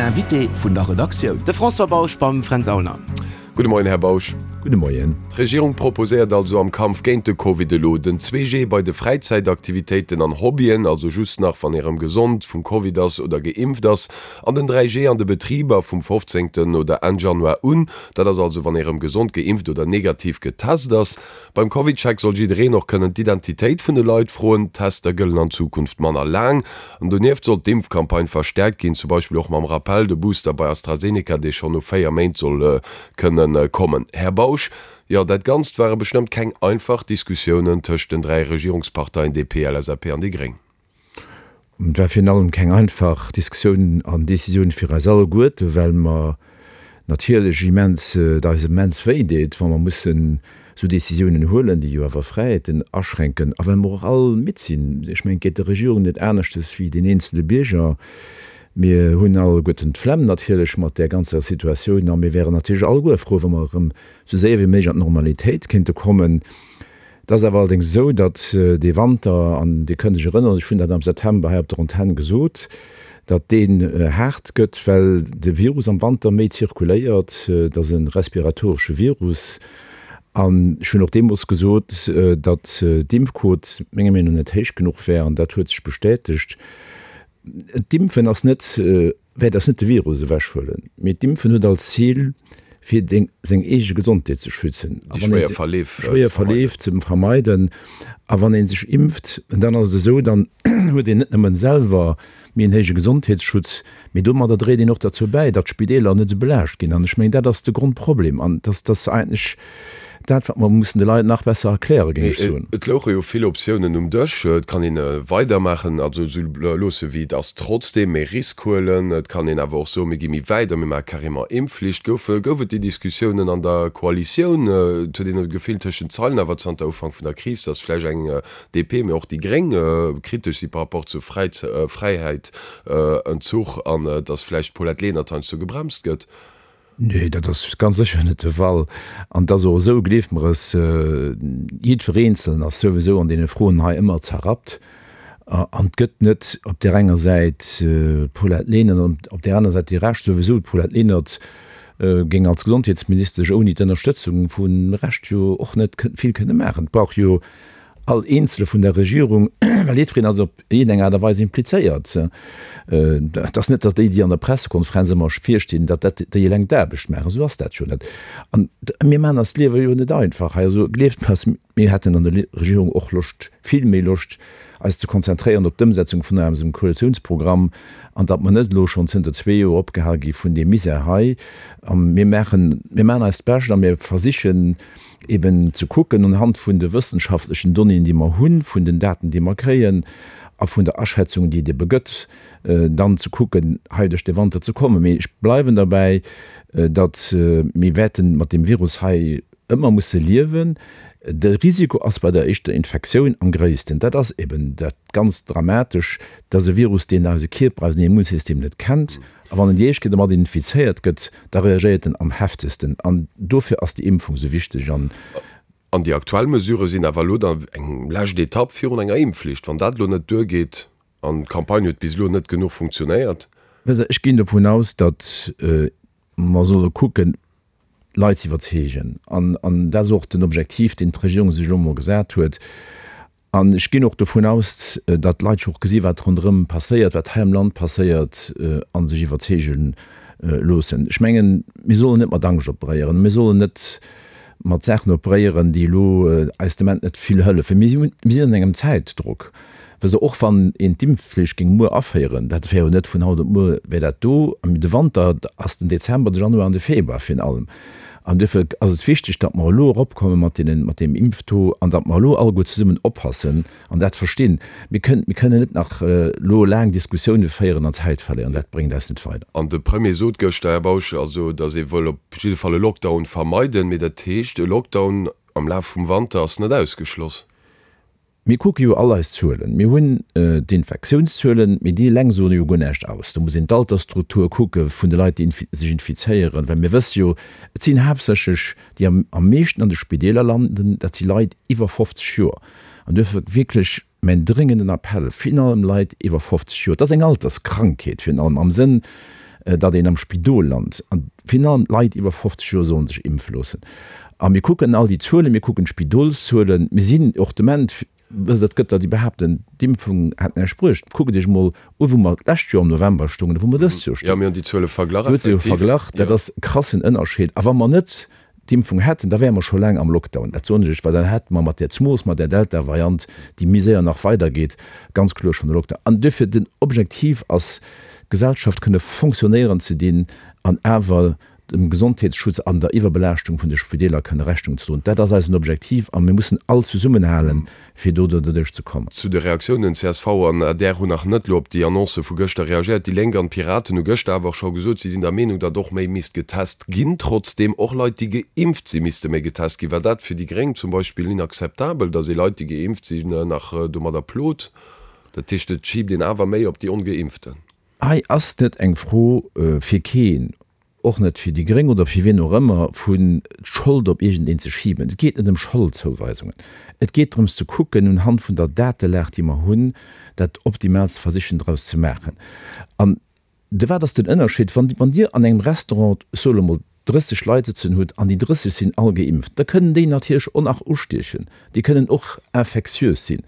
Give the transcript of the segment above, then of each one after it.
Den Invité vun der Redaktioun. De François Bausch beim Fränz Aulner. Gudde Moien, Här Bausch. Gudde Moien. D'Regierung proposéiert also am Kampf géint de Covid elo den 2G bei de Fräizäitaktivitéiten an Hobbyen, also just nach wann ee rëm gesond vum Covid ass oder geimpft ass, an den 3G an de Betriber vum 15. Oder Enn Januar un, dat ass also wann ee rëm gesond, geimpft oder negativ getest ass. Beim CovidCheck soll jiddereen och kënnen d'Identitéit vun de Leit froen. D'Tester gëllen an Zukunft manner laang. An donieft soll d'Impfcampagne verstäerkt ginn, zum Beispill och mam Rappell, de Booster bei AstraZeneca, dee schonn no 4 Méint soll kënne kommen. Här Bausch, jo, dat Ganzt ware bestëmmt keng einfach Diskussiounen tëscht den 3 Regierungsparteien DP, LSAP an déi Gréng. Et war virun allem keng einfach Diskussioun an Decisioun fir eis alleguerte, well mer natierlech immens, et eis immens wéi deet, wa mer mussen esou Decisiounen huelen, déi jo awer Fräiheeten aschränken, a well mer och all midd sinn. Ech mengen, et geet der Regierung net aneschtes wéi den eenzele Bierger. Mir hunn alleguerten d'Flemm natierlech mat där ganzer Situatioun a mir wären natierlech alleguer frou, wa mer erëm esou séier wéi méiglech an d'Normalitéit kéinte kommen. Et ass awer allerdéngs esou, datt dee Wanter, an Dir kënnt lech erënneren, ech hunn dat am September hei op der Antenn gesot, datt deen haart gëtt, well de Virus am Wanter méi zirkuléiert. Et ass e respiratoresche Virus. An ech hunn och deemools gesot, datt d'Impfquot menger Meenung no net héich genuch wär, an dat huet sech bestätegt. D'Impfen ass net wäert eis net de Virus ewechhuelen, mee d'Impfen huet als Zil, fir deng, seng eege Gesondheet ze schützen, Déi schwéier Verleef ze schwéier Verleef ze vermeiden. A wann ee sech impft, dann ass et esou, dann huet een net nëmmen selwer méi en héije Gesondheetsschutz, mee domadder dréit een och derzou bäi, datt d'Spideeler net esou belaascht ginn. An ech mengen, dat ass de Grondproblem an dass dass eigentlech Dat, wat mer mussen de Leit nach besser erklären, géing ech soen. Et louche jo vill Optiounen um Dësch. Et kann een weidermaachen, also esou loosse wéi et ass, trotzdeem méi Risk huelen. Et kann een awer och soen, mir gi méi wäit a mir maache carrément Impfflicht. Gouf, gouf et déi Diskussiounen an der Koalitioun? Et huet een e Gefill tëschent Zeilen awer zanter Ufank vun der Kris, datt vläicht eng DP, mee och déi Gréng kritesch si par rapport zu Fräiheit, Entzuch an datt vläicht d'Paulette Lenert heiansdo gebremst gëtt. Nee, dat ass ganz sécher net de Fall. An et ass och esou, gleeft mer es, jiddwer Eenzelen ass souwisou an deene Froen hei ëmmer zerrappt. An et gëtt net op där enger Säit d'Paulette Lenert an op där aner Säit déi Recht. Souwisou, d'Paulette Lenert géing als Gesondheetsministesch ouni d'Ënnerstëtzung vum Rescht jo och net vill kënne maachen. Et brauch jo all Eenzele vun der Regierung, well jiddwereen ass op iergendeng Aart a Weis implizéiert. Et ass net, datt déi, déi an der Pressekonferenz ëmmer virstinn, datt dat déi eleng d'Aarbecht maachen. Esou ass dat jo net. An mir maachen eis d'Liewe jo net einfach hei. Also gleeft mer es, mir hätten an der Regierung och Loscht, vill méi Loscht, eis ze konzentréieren op d'Ëmsetzung vun eisem Koalitiounsprogramm an datt mer net elo schonn zënter zwee Joer opgehal gi vun deem Misär hei. A mir maachen, mir maachen eist Bescht a mir versichen, eben ze kucken unhand vun de wëssenschaftlechen Donnéeën, déi mer hunn, vun den Daten, déi mer kréien a vun der Aschätzung, déi et ebe gëtt, dann ze kucken, hei duerch de Wanter ze kommen. Mee ech bleiwen derbäi, datt mir wäerte mat deem Virus hei ëmmer musse liewen. De Risiko ass bei der éischter Infektioun am gréissten. Dat ass eben dat ganz Dramatesch. Dat ass e Virus, deen eise Kierper, eisen Immunsystem net kennt. A wann en déi éischt Kéier domat infizéiert gëtt, da reagéiert en am heftegsten. An dofir ass déi Impfung esou wichteg. An. An déi aktuell Mesurë sinn awer elo dann eng lescht Etapp virun enger Impfflicht. Wann dat elo net duergeet, an d'Campagne huet bis elo net genuch funktionéiert. Wësst Der, ech ginn dovun aus, datt mer solle kucken, d'Leit ze iwwerzeegen. An dat ass och den Objektiv, deen d'Regierung sech elo emol gesat huet. An ech ginn och dovun aus, datt d'Leit jo och gesi wat ronderëm passéiert, wat hei am Land passéiert, a sech iwwerzeege loossen. Ech mengen, mir sollen net mat Angscht operéieren, mir sollen net mat Saachen operéieren, déi elo eis de Moment net vill hëllefen. Mir sinn an engem Zäitdrock. Wësst Der, och wann een d'Impfflicht géing muer aféieren, dat wär jo net vun haut op muer wär dat do. An de Wanter ass den Dezember, de Januar an de Februar virun allem. An duerfir ass et wichteg, datt mer elo eropkomme mat deenen, mat deem Impftaux an datt mer elo alleguer zesummen oppassen an dat verstinn. Mir kënnen, mir kënnen net nach elo laang Diskussioune féieren an Zäit verléieren. Dat bréngt eis net weider. An de Premier sot gëschter, Här Bausch, also datt ee wëll op jidde Fall e Lockdown vermeiden. Mee dat heescht, e Lockdown am Laf vum Wanter ass net ausgeschloss. Mir kucke jo all eis Zuelen. Mir hunn d'Infektiounszuelen, mee déi eleng soen jo guer näischt aus. Do muss een d'Altersstruktur kucke vun de Leit, déi sech infizéieren, well mir wësse jo, et sinn haaptsächlech déi am meeschten an de Spideeler landen, dat si Leit iwwer 50 Joer. An duerfir wierklech mäin dréngenden Appell, virun allem Leit iwwer 50 Joer, et ass eng Alterskrankheet virun allem am Sënn. datt een am Spidol lant. An virun allem d'Leit iwwer 50 Joer solle sech impfe loossen. A mir kucken all déi Zuelen, mir kucken d'Spidolszuelen, mir sinn och de Moment, Wësst Der, et gëtt der, déi behaapten, d'Impfung hätt näischt bruecht. Kuckt Iech emol u wou mer d'lescht Joer am November stoungen a wou mer dëst Joer stoungen. Jo, mir hunn déi Zuele verglach, Dir hutt se jo effektiv. verglach. Dat ass e krassen Ënnerscheed. A wa mer net d'Impfung hätten, da wäre mer scho laang am Lockdown. Dat soen ech Iech, well dann hätte mer mat där, zemoos mat där Delta-Variant, déi méi séier nach weidergeet, ganz kloer schonn e Lockdown. An duerfir, den Objektiv ass, d'Gesellschaft kënne fonctionnéieren ze dinn an awer dem Gesondheetsschutz an der Iwwerbelaaschtung vun de Spideeler kënne Rechnung ze droen. Dat ass eisen Objektiv a mir mussen all zesummenhalen, fir do derduerch ze kommen. Zu de Reaktiounen, csv an adr hunn nach net elo op déi Annoncë vu gëschter reagéiert. Déi Lénk an d'Piraten hu gëschter awer och scho gesot, si sinn der Meenung, datt och méi misst getest ginn. Trotzdeem, och Leit, déi geimpft sinn, misste méi getest ginn. War dat fir déi Gréng zum Beispill inakzeptabel, datt ee Leit, déi geimpft sinn, nach domadder plot? Dat heescht, et schiibt een awer méi op déi Ongeimpften. Hei ass net eng Fro fir keen, och net fir déi Gréng oder fir wien och ëmmer, vun d'Schold op iergendeen ze schiben. Et geet net ëm Scholdzouweisungen. Et geet drëms ze kucken, unhand vun der Datelag, déi mer hunn, dat Optimaalst versichen draus ze maachen. An de wat ass den Ënnerscheed, wann, wann Dir an engem Restaurant, ech soe lo mol, 30 Leit sëtzen hutt an déi 30 sinn all geimpft, da kënnen déi natierlech och nach ustiechen, déi kënnen och infectiös sinn.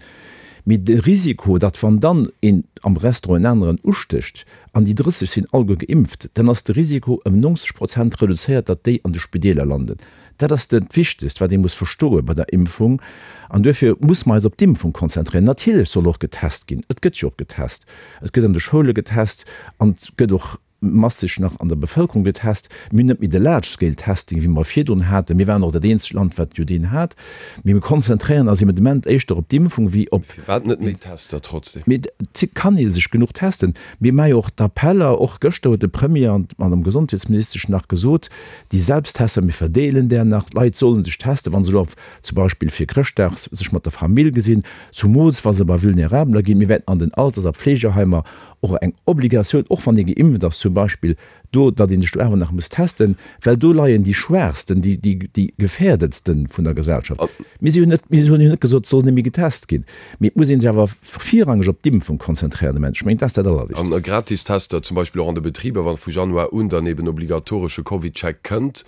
Mee de Risiko, datt wann dann een am Restaurant en aneren ustécht an déi 30 sinn alleguer geimpft, dann ass de Risiko ëm 90 Prozent reduzéiert, datt déi an de Spideeler landen. Dat ass dat Wichtegst, wat ee muss verstoe bei der Impfung. An duerfir muss mer eis op d'Impfung konzentréieren. Natierlech soll och getest ginn. Et gëtt jo och getest. Et gëtt an de Schoule getest an et gëtt och masseg nach an der Bevëlkerung getest. Mir hunn net méi de large scale testing, wéi mer virdrun haten. Mir waren och dat eenzegt Land, wat jo deen hat. Mee mir konzentréieren eis eben de Moment éischter op d'Impfung wéi op. Firwat net méi Tester trotzdem? Mee et kann ee sech genuch testen. Mir maache jo och d'Appeller, och gëschter huet de Premier an d'Madame Gesondheetsministesch nach gesot, déi Selbsttester, mir verdeelen där nach, d'Leit solle sech testen, wa se elo zum Beispill fir Chrëschtdag sech mat der Famill gesinn, zumools wa se bei Vulnerabeler ginn. Mir wäerten an den Alters a Pfleegeheimer och eng Obligatioun, och wann ee geimpft ass zum Beispill, do, datt ee sech do awer nach muss testen, well do leien déi Schwaachsten, déi, déi, déi Gefährdetste vun der Gesellschaft. Mir si jo net, mir hunn jo net gesot, et soll net méi getest ginn, mee et muss ee sech awer virrangeg op d'Impfung konzentréieren de Moment. Ech mengen, dat ass dat Allerwichtegst. A gratis Tester zum Beispill och an de Betriber, wann vu Januar un dann eben obligatoresche CovidCheck kënnt,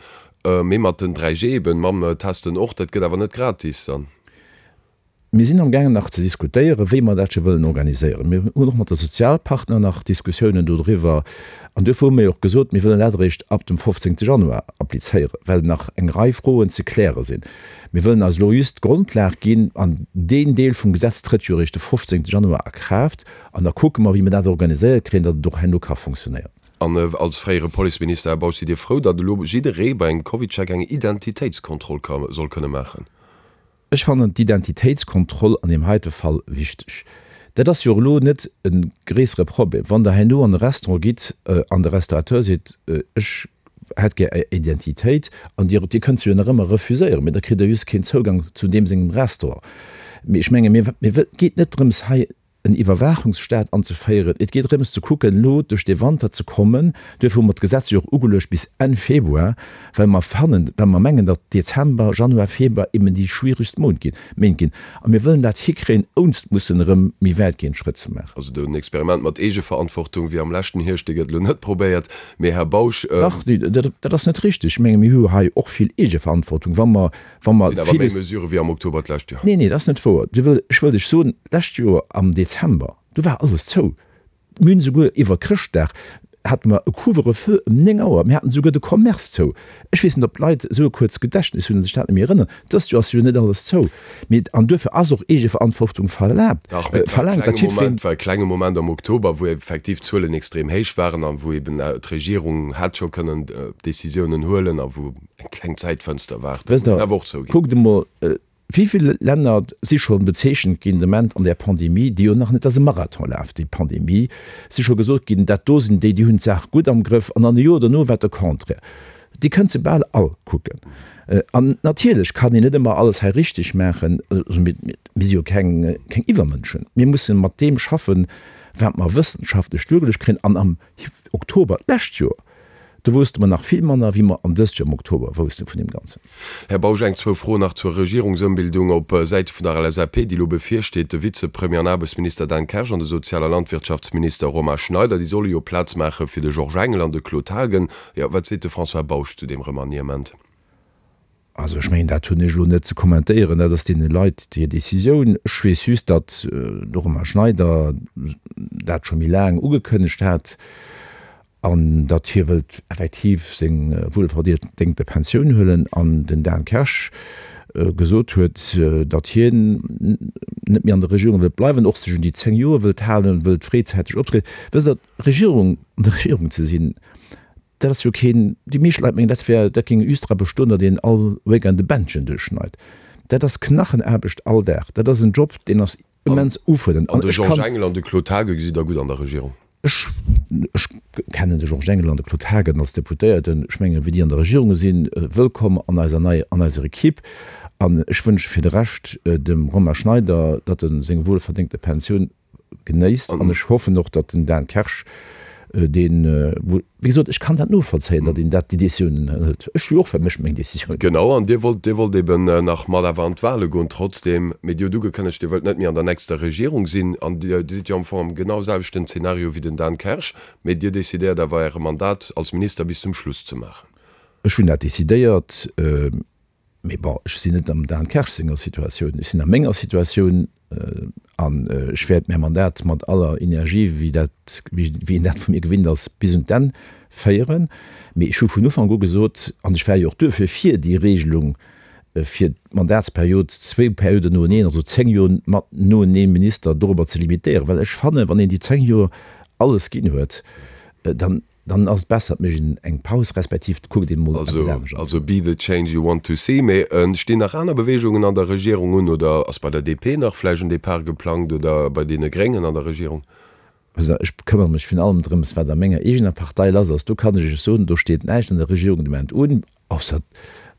mee mat den 3G eben, mam Testen och, dat gëtt awer net gratis dann. Mir sinn amgaangen nach ze diskutéieren, wéi mer dat scho wëllen organiséieren. Mir hunn och mat de Sozialpartner nach Diskussiounen dodriwwer. An duerfir hu mir jo och gesot, mir wëllen dat eréischt ab dem 15. Januar applizéieren, well nach eng Rei Froen ze kläre sinn. Mir wëllen eis elo just d'Grondlag ginn, an deen Deel vum Gesetz trëtt jo eréischt de 15. Januar a Kraaft. An da kucke mer, wéi mer dat organiséiert kréien, datt et och herno ka fonctionnéieren. An als fréiere Policeminister, Här Bausch, sidd Dir frou, datt elo jidderee bei engem CovidCheck eng Identitéitskontroll ka soll kënne maachen? Ech fannen d'Identitéitskontroll an deem heite Fall wichteg. Dat ass jo och elo net e gréissere Problem, wann Der herno an e Restaurant gitt an de Restaurateur seet, ech hätt gär Är Identitéit, an Dir, Dir kënnt se jo nach ëmmer refuséieren, mee da kritt Der just keen Zougang zu deem sengem Restaurant. Mee ech menge mir, mir, et geet net drëms hei en Iwwerwaachungsstaat anzeféieren. Et geet drëms ze kucken, elo duerch dee Wanter ze kommen. Duerfir hu mer d'Gesetz jo och ugeluecht bis Enn Februar, well mer fannen, well mer mengen, datt Dezember, Januar, Februar eben déi schwieregst Mount ginn, Méint ginn. A mir wëllen dat hikréien, ounst mussen erëm méi wäitgehend Schrëtt ze maachen. Also den Experiment mat Eegeverantwortung wéi am leschten Hierscht, dee gëtt elo net probéiert. Mee, Här Bausch. Dach, dat ass net richtig. Ech menge mir hu hei och vill Eegeverantwortung, wa mer Wa mer Sinn awer méi Mesurë wéi am Oktober d'lescht Joer. Nee, nee, dat ass net wouer. Du wëll, ech wëll lech soen, d'lescht Joer am Dezember, do war alles zou. Mir hunn esouguer iwwer Chrëschtdag hate mer e Couvre-feu ëm 9 Auer. Mir haten esouguer de Commerce zou. Ech weess net, ob d'Leit esou e kuerzt Gedächtnis hunn a sech dat net méi erënneren. Dëst Joer ass jo net alles zou. Mee, an duerfir ass och Eegeverantwortung verlaabt, Dach, mee et war e verlaangt, datt klenge jiddwereen. Moment, war e klenge Moment am Oktober, wou effektiv d'Zuelen extrem héich waren a wou eben d'Regierung hätt scho kënnen Décisiounen huelen a wou Eng kleng Zäitfënster war Wësst Der, awer och zouginn. Kuckt emol, wéi vill Länner si scho bezeechent ginn de Moment an där Pandemie, déi jo nach net, dat ass e Marathonlaf, déi Pandemie, si scho gesot ginn, dat do sinn déi, déi hunn d'Saach gutt am Grëff, an dann e Joer dono war et de Contraire. Déi kënnt se bal all kucken. An natierlech kann een net ëmmer alles hei richteg maachen. Also mir, mir si jo keng, keng Iwwermënschen. Mir mussen mat deem schaffen, wat mer wëssenschaftlech duergeluecht kréien. An am Oktober d'lescht Joer. Do wousste mer nach vill manner, wéi mer an dëst Joer am Oktober wousste vun deem Ganzen. Här Bausch, eng, zwou Froen nach zur Regierungsëmbildung op Säite vun der LSAP, déi elo bevirsteet. De Vizepremier an Aarbechtsminister Dan Kersch an de Sozial a Landwirtschaftsminister Romain Schneider, déi solle jo Plaz maache fir de Georges Engel an de Claude Haagen. Jo, wat seet de François Bausch zu deem Remaniement? Also ech mengen, dat hunn ech elo net ze kommentéieren, dat ass deene Leit hir Décisioun. Ech weess just, datt de Romain Schneider dat scho méi laang ugekënnegt hat an datt hie wëllt effektiv seng wuelverdéngte Pensioun huelen an den Dan Kersch gesot huet, datt hien net méi an der Regierung wëllt bleiwen, och sech un déi 10 Joer wëllt halen, wëllt fréizäiteg optrieden. Wësst Der, Regierung, an der Regierung ze sinn, Dat ass jo keen, déi meescht Leit mengen, dat wär, dat géing just dra bestoen, datt een all Weekend e Bändchen duerchschneit. Dat ass Knachenaarbecht all Dag. Dat ass en Job, deen ass immens ufuerdernd. An de Georges Engel an de Claude Haagen gesitt Der gutt an der Regierung? Ech, ech kennen de Georges Engel an de Claude Haagen als Deputéierten. Ech mengen, wéi déi an der Regierung sinn, wëllkomm an eiser nei, an eiser Equipe. An ech wënsche fir de Rescht dem Romain Schneider, datt e seng wuelverdéngte Pensioun genéisst an ech hoffen och, datt den Dan Kersch deen, wéi gesot, ech kann dat novollzéien, datt een dat déi Décisioun hëlt. Ech hu jo och fir mech meng Décisioun. Genau, an Dir wollt, Dir wollt eben nach mat awer an d'Wahle goen trotzdem, mee Dir hutt ugekënnegt, Dir wëllt net méi an der nächster Regierung sinn an Dir sidd jo am Fong am genau selwechten Zeenario wéi den Dan Kersch, mee Dir decidéiert awer Äre Mandat als Minister bis zum Schluss ze maachen. Ech hunn dat decidéiert. Mee bon, ech sinn net am Dan Kersch senger Situatioun, ech sinn a menger Situatioun an ech wäert mäi Mandat mat aller Energie, wéi dat, wéi een dat vu mir gewinnt ass, bis un d'Enn féieren. Mee ech hu vun Ufank u gesot, an ech war jo och duerfir fir déi Regelung, fir d'Mandatsperiod zwou Perioden noeneen, also 10 Joer mat noenee Minister dorobber ze limitéieren, well ech fannen, wann een déi 10 Joer alles ginn huet, dann Dann ass et besser, et mécht een eng Paus, respektiv et kuckt een emol eppes anescht. Also be the change you want to see. Mee stinn nach aner Beweegungen an der Regierung un oder ass bei der DP nach vläicht en Depart geplangt oder bei deene Gréngen an der Regierung? Also ech këmmere mech virun allem drëms, wat a menger eegener Partei lass ass. Do kann ech Iech soen, do steet näischt an der Regierung de Moment un. Ausser,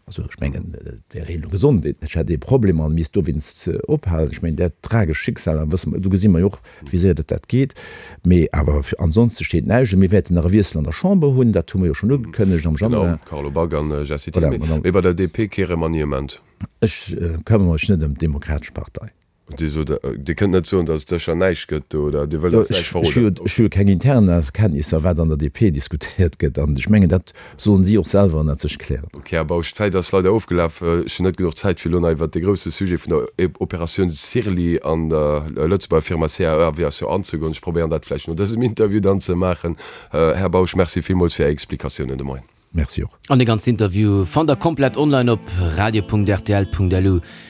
also ech mengen, et wär elo gesond, ech hätt ee Problem an misst dowéinst ophalen. Ech mengen, dat tragescht Schicksal, da wësse mer, do gesi mer jo och, wéi séier dat dat geet. Mee awer ansonste steet näischt un. Mir wäerten nach e Wiessel an der Chamber hunn, dat hu mer jo schonn ugekënnegt am Januar. Genau, Carlo Back an Jessy Thill. Mee bei der DP kee Remaniement? Ech këmmere mech net ëm d'Demokratesch Partei. Dir sot, Dir kënnt net soen, datt et sécher näischt gëtt do, oder Dir wëllt eis näischt verroden? Ech hu jo keng intern Kenntnisser, wat an der DP diskutéiert gëtt, an ech mengen, dat sollen si och selwer ënnert sech klären. Ok, Här Bausch, d'Zäit ass leider ofgelaf. Ech hunn net genuch Zäit, fir elo nach iwwert dee grousse Sujet vun der Operatioun Sirli an der Lëtzebuerger Firma CAE Aviation anzegoen. Ech probéieren dat vläicht no dësem Interview dann ze maachen. Här Bausch, Merci villmools fir Är Explikatiounen de Moien. Merci och. An dee ganzen Interview fannt der komplett online op radio.rtl.lu.